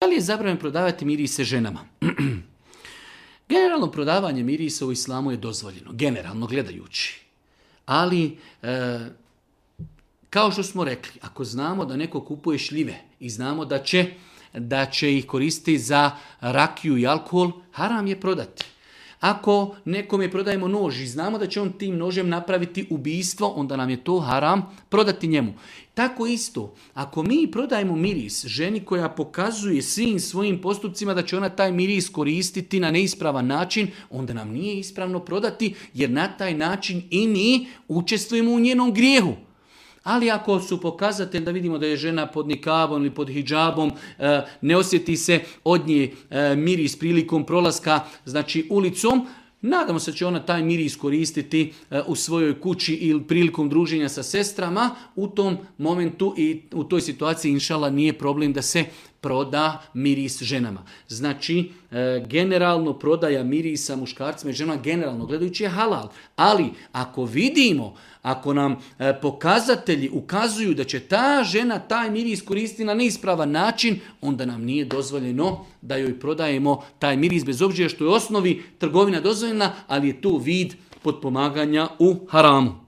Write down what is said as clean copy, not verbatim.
Da li je zabranjeno prodavati mirise ženama? Generalno prodavanje mirisa u islamu je dozvoljeno, generalno gledajući. Ali, kao što smo rekli, ako znamo da neko kupuje šljive i znamo da će ih koristiti za rakiju i alkohol, haram je prodati. Ako nekome prodajemo nož i znamo da će on tim nožem napraviti ubijstvo, onda nam je to haram prodati njemu. Tako isto, ako mi prodajemo miris ženi koja pokazuje svim svojim postupcima da će ona taj miris koristiti na neispravan način, onda nam nije ispravno prodati, jer na taj način i mi učestvujemo u njenom grijehu. Ali ako su pokazatelj da vidimo da je žena pod nikabom ili pod hidžabom, ne osjeti se od nje miris prilikom prolaska, znači ulicom, nadamo se da će ona taj miris koristiti u svojoj kući ili prilikom druženja sa sestrama, u tom momentu i u toj situaciji inšala nije problem da se proda miris ženama. Znači, generalno prodaja mirisa muškarcima i ženama, generalno gledajući je halal. Ali ako vidimo, ako nam pokazatelji ukazuju da će ta žena taj miris koristiti na neispravan način, onda nam nije dozvoljeno da joj prodajemo taj miris, bez obzira što je u osnovi trgovina dozvoljena, ali je to vid potpomaganja u haramu.